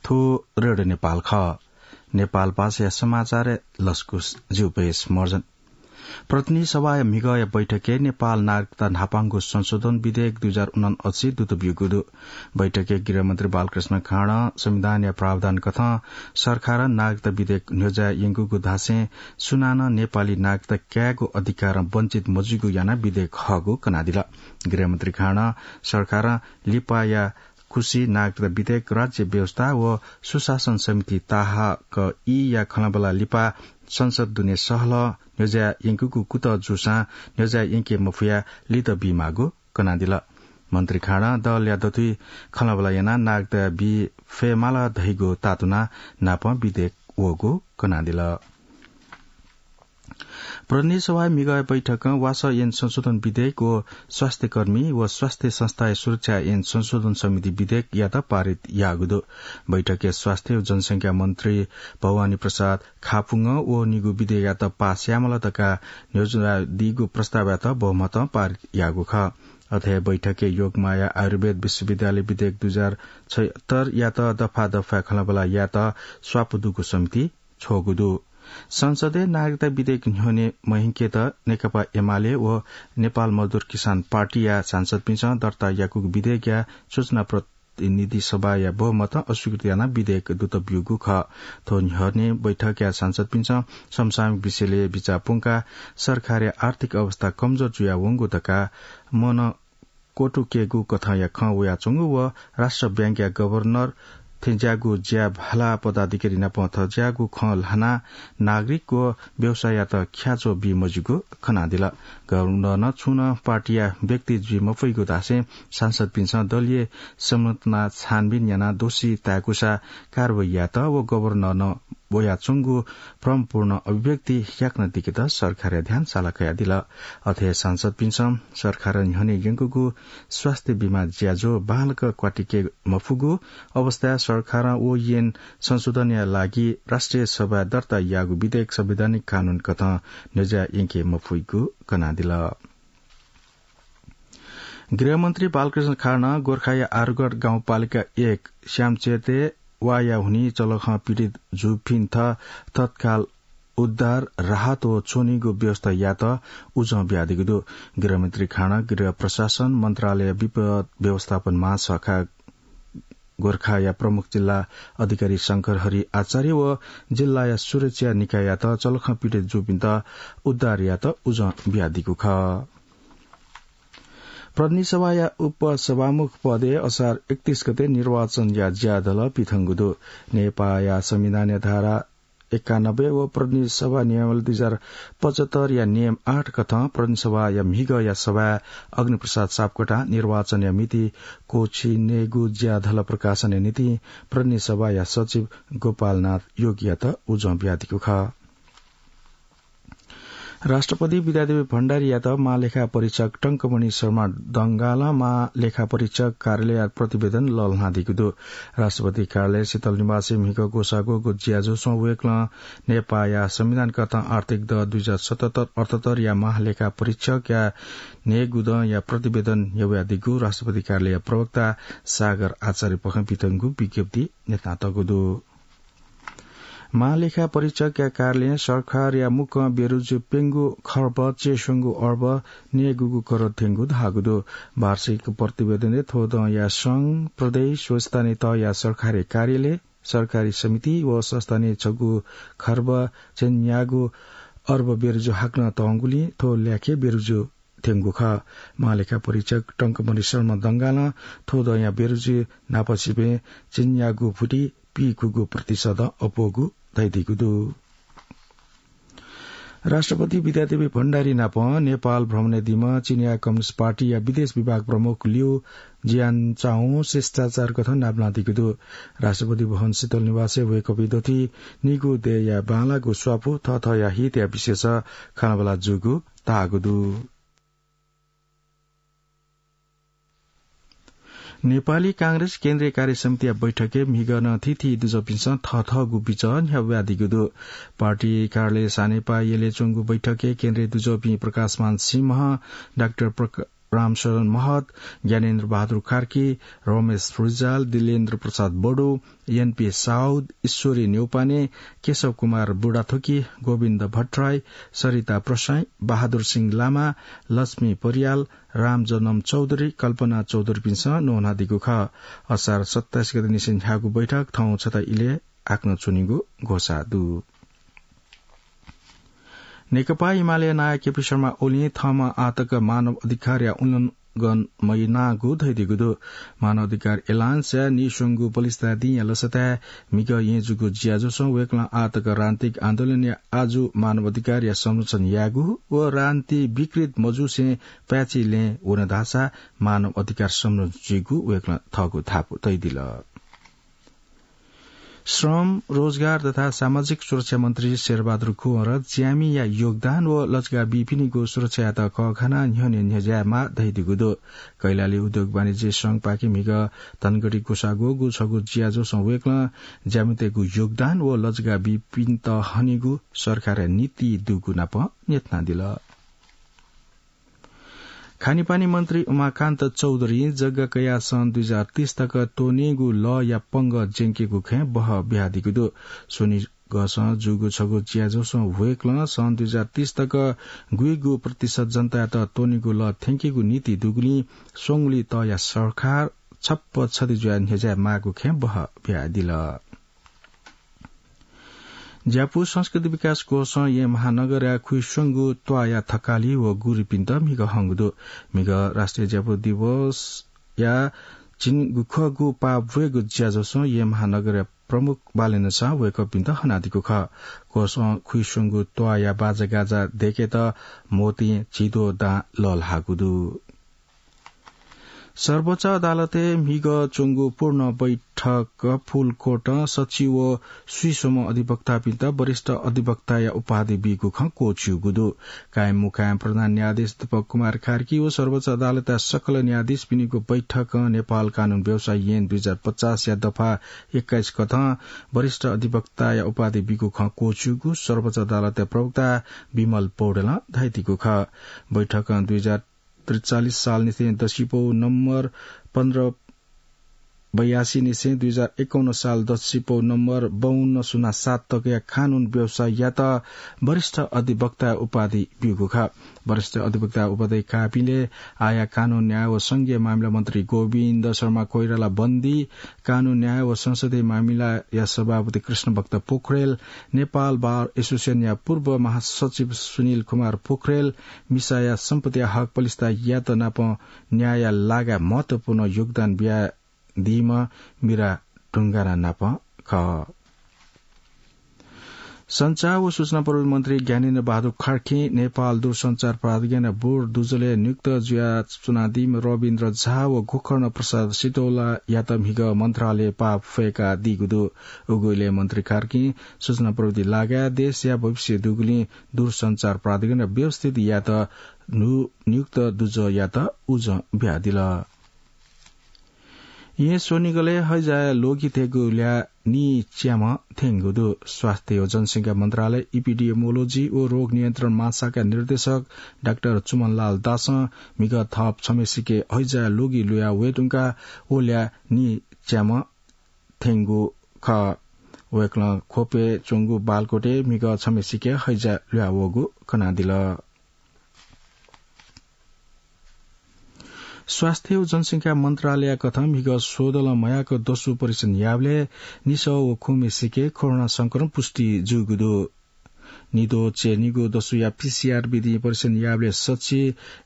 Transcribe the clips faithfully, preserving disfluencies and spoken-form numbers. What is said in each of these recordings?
थ्व रेडियो नेपाल खः। नेपाल भाषाया समाचार लसकुस ज्यू भ्वय् मर्जन। प्रतिनिधि सभाया म्हिगःया बैठकय् नेपाल नागरिकता न्हापांगु संशोधन विधेयक दुई हजार उनासी दुत ब्यूगु दु। बैठकय् गृहमन्त्री बालकृष्ण खाँडं संविधानया प्रावधान कथं सरकारं नागरिकता विधेयक न्ह्यज्याः यंकूगु धासें सुनानं नेपाली नागरिकता कायेगु अधिकारं वञ्चित मजुइगु यानाः विधेयक हःगु कनादिल। गृहमन्त्री खाँडं सरकारं लिपाया खुसी नागरिकता विधेयक राज्य व्यवस्था व सुशासन समिति ताहाक ई या खँल्हाबल्हा लिपा संसद दुने सहलह न्ह्यज्याः यंकूगु कुतः जूसां न्ह्यज्याः यंके मफुया लित बीमाःगु कनादिल। मन्त्री खाँडं दलया दथुइ खँल्हाबल्हा यानाः नागरिकता बी फयेमाल धइगु तातुना नापं विधेयक वःगु कनादिल। प्रतिनिधि सभाया म्हिगःया बैठकं वासः ऐन संशोधन विधेयक व स्वास्थ्यकर्मी व स्वास्थ्य संस्थाया सुरक्षा ऐन संशोधन समिति विधेयकयात पारित याःगु दु। बैठकय् स्वास्थ्य व जनसंख्या मन्त्री भवानी प्रसाद खापुंगं व निगू विधेयकयात पास यायेमाल धकाः न्ह्यज्याःदीगु प्रस्तावयात बहुमतं पारित याःगु खः। अथे हे बैठकय् योगमाया आयुर्वेद विश्वविद्यालय विधेयक दुई हजार छयत्तरयात दफा दफाय् खँल्हाबल्हा यायेत स्वापू दुगु समिति छ्वःगु दु। संसदय् नागरिकता विधेयक न्ह्यःने मयंकेत नेकपा एमाले व नेपाल मजदुर किसान पार्टीया सांसदपिन्सं दर्ता याकूगु विधेयकया सूचना प्रतिनिधि सभाया बहुमतं अस्वीकृत यानाः विधेयक दुत ब्यूगु खः। थ्व न्ह्यःने बैठकया सांसदपिन्सं समसामयिक विषयलय् बिचाः प्वंकाः सरकारया आर्थिक अवस्था कमजोर जुयावंगु धकाः मन क्वतुकेगु कथंया खँ वयाच्वंगु व राष्ट्र बैंकया गभर्नर थेंज्याःगु ज्या भाला पदाधिकारी नाप थज्याःगु खँ ल्हानाः नागरिक व व्यवसाययात ख्याच्वः बी मज्यूगु खनादिल। गभर्नरं छुं नं पार्टीया व्यक्ति जुइ मफइगु धासें सांसदपिन्सं दलीय संरचना छानबिन यानाः दोषी ताय्कूसा कारवाही यायेत व गभर्नरं वयाच्वंगु भ्रमपूर्ण अभिव्यक्ति याकनं दिकेत सरकारया ध्यान साला कयादिल। अथे हे सांसदपिन्सं सरकारं न्ह्यःने यंकूगु स्वास्थ्य बीमा ज्याझ्वः बांलाक क्वातिके मफुगु अवस्थाय् सरकारं व ऐन संशोधनया लागि राष्ट्रिय सभाय् दर्ता याःगु विधेयक संवैधानिक कानून कथं न्ह्यज्याः यंके मफुइगु कनादिल। गृहमन्त्री बालकृष्ण खाँडं गोर्खाया आरुगढ गाउँपालिका एक श्यामचेते वाया हुनिं चलखं पीडित जूपिन्त तत्काल उद्धार, राहत व च्वनीगु व्यवस्था यायेत उजं बियादीगु दु। गृहमन्त्री खाँडं गृह प्रशासन मन्त्रालय विपद व्यवस्थापन महाशाखा गोर्खाया प्रमुख जिल्ला अधिकारी शंकर हरि आचार्य व जिल्लाया सुरक्षा निकाययात चलखं पीडित जूपिन्त उद्धार यायेत उजं बियादीगु खः। प्रतिनिधि सभाया उपसभामुख पदय् असार एकतीस गते निर्वाचनया ज्याझ्वः पिथंगु दु। नेपाःया संविधानया धारा एकानब्बे व प्रतिनिधि सभा नियमावली दुई हजार पचहत्तरया नियम आठ कथं प्रतिनिधि सभाया म्हिगःया सभाय् अग्निप्रसाद सापकोटां निर्वाचनया मिति क्वःछिनेगु ज्याझ्वः प्रकाशनया निंतिं प्रतिनिधि सभाया सचिव गोपालनाथ योगीयात उजं बियादीगु खः। राष्ट्रपति विद्यादेवी भण्डारीयात महालेखा परीक्षक टंकमणि शर्मा डंगालं महालेखा परीक्षक कार्यालयया प्रतिवेदन लःल्हानादीगु दु। राष्ट्रपति कार्यालय शीतल निवासय् म्हिगः ग्वसाः ग्वःगु ज्याझ्वलय् वय्कलं नेपाःया संविधान कथं आर्थिक दँ दुई हजार सतहत्तर अठहत्तरया महालेखा परीक्षकया न्हय्गू दँया प्रतिवेदन न्ह्यब्वयादीगु राष्ट्रपति कार्यालयया प्रवक्ता सागर आचार्यपाखें पिथंगु विज्ञप्ति न्ह्यथनातःगु दु। महालेखा परीक्षकया कार्यालयं सरकारया मुक्कं ब्यरूजु प्यंगू खर्ब च्यय्स्वंगू अर्ब न्यय्गूगू करोड थ्यंगु धाःगु दु। वार्षिक प्रतिवेदनय् थ्व दँया संघ, प्रदेश व स्थानीय तहया सरकारी कार्यालय, सरकारी समिति व संस्थानय् छगू खर्ब च्यन्यागू अर्ब ब्यरूजु हाकनं तःगुलिं थ्व ल्याखय् ब्यरूजु थ्यंगु खः। महालेखा परीक्षक टंकमणि शर्मा डंगालं थ्व दँया ब्यरूजु न्हापासिबें च्यन्यागू भुति पीखुगू प्रतिशतं अप्वःगु धयादीगु दु। राष्ट्रपति विद्यादेवी भण्डारी नाप नेपाल भ्रमण यादीम्ह चिनियाँ कम्युनिस्ट पार्टीया विदेश विभाग प्रमुख लिउ जियानचाओं शिष्टाचार कथं नापलानादीगु दु। राष्ट्रपति भवन शीतल निवासय् वय्कःपिं दथुइ निगू देय्या बांलाःगु स्वापू थःथःया हितया विषयस खँल्हाबल्हा जूगु धाःगु दु। नेपाली कांग्रेस केन्द्रीय कार्य समितिया बैठकय् म्हिगः नं थीथी दुजःपिन्सं थःथःगु बिचः न्ह्याब्वयादीगु दु। पार्टी कार्यालय सानेपा यलय् च्वंगु बैठकय् केन्द्रीय दुजःपिं प्रकाशमान सिंह, डाक्टर प्रका-, रामशरण महत, ज्ञानेन्द्र बहादुर कार्की, रमेश रिजाल, दिलेन्द्र प्रसाद बडु, एनपी साउद, ईश्वरी न्यौपाने, केशव कुमार बुढाथोकी, गोविन्द भट्टराई, सरिता प्रसाई, बहादुर सिंह लामा, लक्ष्मी परियाल, रामजन्म चौधरी, कल्पना चौधरीपिन्सं न्वहनादीगु खः। असार सत्ताइस गते निसें न्ह्याःगु बैठक थौं छता इलय् हाकनं च्वनीगु घोषणा दु। नेकपा एमाले नायः केपी शर्मा ओलीं थःम्हं आःतक मानव अधिकारया उल्लंघन मयानागु धयादीगु दु। मानव अधिकार एलायन्सया नीस्वंगू पलिस्था दिंया लसताय् म्हिगः येँ जूगु ज्याझ्वलय् वय्कलं आःतक राजनीतिक आन्दोलनया आजु मानव अधिकारया संरक्षण यायेगु व राजनीति विकृत मजूसें पाय्छि लँय् वन धाःसा मानव अधिकार संरक्षण जुइगु वय्कलं थःगु धापू तयादिल। श्रम, रोजगार तथा सामाजिक सुरक्षा मन्त्री शेरबहादुर कुँवरं ज्यामिया योगदान व लजगाः बीपिनिगु सुरक्षायात कःघानाः न्ह्यःने न्ह्यज्यायेमाः धयादीगु दु। कैलाली उद्योग वाणिज्य संघपाखें म्हिगः धनगढी ग्वसाः ग्वःगु छगू ज्याझ्वलय् वय्कलं ज्यामितय्गु योगदान व लजगाः बीपिन्त हनेगु सरकारया नीति दुगु नाप न्ह्यथनादिल। खानेपानी मन्त्री उमाकान्त चौधरीं जग्गा कयाः सन् दुई हजार तीस तक त्वनेगु लःया पंगः ज्यंकेगु खँय् बहः बियादीगु दु। स्वनिगःसं जूगु छगू ज्याझ्वलय् वय्कलं सन् दुई हजार तीस तक गुइगु प्रतिशत जनतायात त्वनेगु लः थ्यंकेगु नीति दुगुलिं स्वंगुलिं तःया सरकार छप्पँ छधी जुयाः न्ह्यज्यायेमाःगु खँय् बहः बियादिल। ज्यापु संस्कृति विकास कोषं येँ महानगरया खुइस्वंगू त्वाःया थकालि व गुरुपिन्त म्हिगः हंगु दु। म्हिगः राष्ट्रिय ज्यापु दिवसया झिंगुखःगू पाः ब्वयेगु ज्याझ्वलय् येँ महानगरया प्रमुख बालेन्द्र शाहं वय्कःपिन्त हनादीगु खः। कोषं खुइस्वंगू त्वाःया बाजागाजा दय्केत मोतीं झिद्वः दां लःल्हाःगु दु। सर्वोच्च अदालतय् म्हिगः च्वंगु पूर्ण बैठक फुल कोर्टं सचिव व स्वीस्वम्ह अधिवक्तापिन्त वरिष्ठ अधिवक्ताया उपाधि बीगु खँ क्वःछिउगु दु। कायम मुकायम प्रधान न्यायाधीश दीपक कुमार कार्की व सर्वोच्च अदालतया सकल न्यायाधीशपिनिगु बैठकं नेपाल कानून व्यवसाय ऐन दुई हजार पचासया दफा एक्काइस कथं वरिष्ठ अधिवक्ताया उपाधि बीगु खँ क्वःछिउगु सर्वोच्च अदालतया प्रवक्ता विमल पौडेलं धयादीगु खः। बैठकं दुई हजार त्रिचालिस सालनिसें दसिपौ नम्बर पन्ध्र बयासी निसें दुई हजार एकाउन्न साल दसिपौ नम्बर बाउन्न सुना सात तकया कानून व्यवसाययात वरिष्ठ अधिवक्ता उपाधि ब्यूगु खः। वरिष्ठ अधिवक्ता उपाधि काःपिंलय् आःया कानून न्याय व संघीय मामिला मन्त्री गोविन्द शर्मा कोइराला बन्दी, कानून न्याय व संसदीय मामिलाया सभापति कृष्णभक्त पोखरेल, नेपाल बार एसोसिएसनया पूर्व महासचिव सुनिल कुमार पोखरेल, मिसाया सम्पत्तिया हक पलिस्तायात नाप न्यायया लागाय् महत्वपूर्ण योगदान बियादीम्ह मिरा ढुङ्गाना नाप खः। सञ्चार व सूचना प्रविधि मन्त्री ज्ञानेन्द्र बहादुर कार्कीं नेपाल दूरसञ्चार प्राधिकरणया बोर्ड दुजलय् नियुक्त जुयाच्वनादीम्ह रविन्द्र झा व गोकर्ण प्रसाद सितौलायात म्हिगः मन्त्रालयय् पाः फय्कादीगु दु। उगु इलय् मन्त्री कार्कीं सूचना प्रविधि लागाय् देशया भविष्य दुगुलिं दूरसञ्चार प्राधिकरणया व्यवस्थित यायेत नु-, नियुक्त दुजःयात उजं बियादिल। येँ स्वनिगलय् हैजाया ल्वगितय्गु ल्याः नीच्याम्ह थ्यंगु दु। स्वास्थ्य व जनसंख्या मन्त्रालय इपिडियोमोलोजी व रोग नियन्त्रण महाशाखा निर्देशक डाक्टर चुमनलाल दासं म्हिगः थप छम्हेसिके हैजाया ल्वगि लुया वये धुंकाः व ल्याः नीच्याम्ह थ्यंगु खः। वय्कलं ख्वपय् च्वंगु बालकोटय् म्हिगः छम्हेसिके हैजा लुया वःगु कनादिल। स्वास्थ्य व जनसंख्या मन्त्रालय कथं म्हिगः स्वदलं मयाक दसु परीक्षण याःबलय् निसः व खुम्हेसिके कोरोना संक्रमण पुष्टि जूगु दु। निद्वः च्यय् निगू दसुया पीसीआर विधिं परीक्षण याःबलय् सछि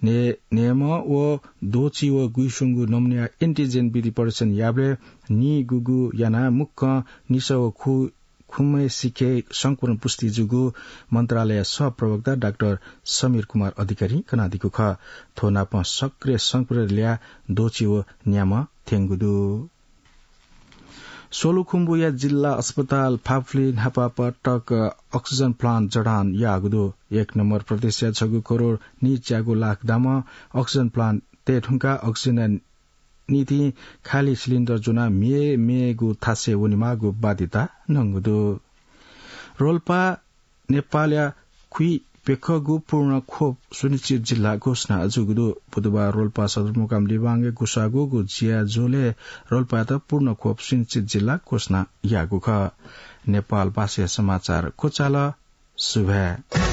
ने-, न्हय्म्ह व द्वःछि व गुइस्वंगू नमुनाया एन्टिजेन विधि परीक्षण याःबलय् निगूगू यानाः मुक्कं निसः व खु-, खुम्हेसिके संक्रमण पुष्टि जूगु मन्त्रालय सहप्रवक्ता डाक्टर समीर कुमार अधिकारीं कनादीगु खः। थ्व नापं सक्रिय संक्रमित ल्याः द्वःछि व न्याम्ह थ्यंगु दु। सोलुखुम्बुया जिल्ला अस्पताल फाफुली न्हापा पटक अक्सिजन प्लान्ट जडान याःगु दु। एक नम्बर प्रदेशया छगू करोड नीच्यागू लाख दामं अक्सिजन प्लान्ट तये धुंकाः अक्सिजनया निंतिं खाली सिलिन्डर ज्वनाः म्ये म्येगु थासय् वनेमाःगु बाध्यता नंगु दु। रोल्पा नेपालया खुइ प्यखःगु पूर्ण खोप सुनिश्चित जिल्ला घोषणा जूगु दु। बुधबार रोल्पा सदरमुकाम लिबांगय् गुसागूगु ज्याझ्वलय् रोल्पायात पूर्ण खोप सुनिश्चित जिल्ला घोषणा याःगु खः। नेपाल भाषाया समाचार क्वचाल। सुभाय्।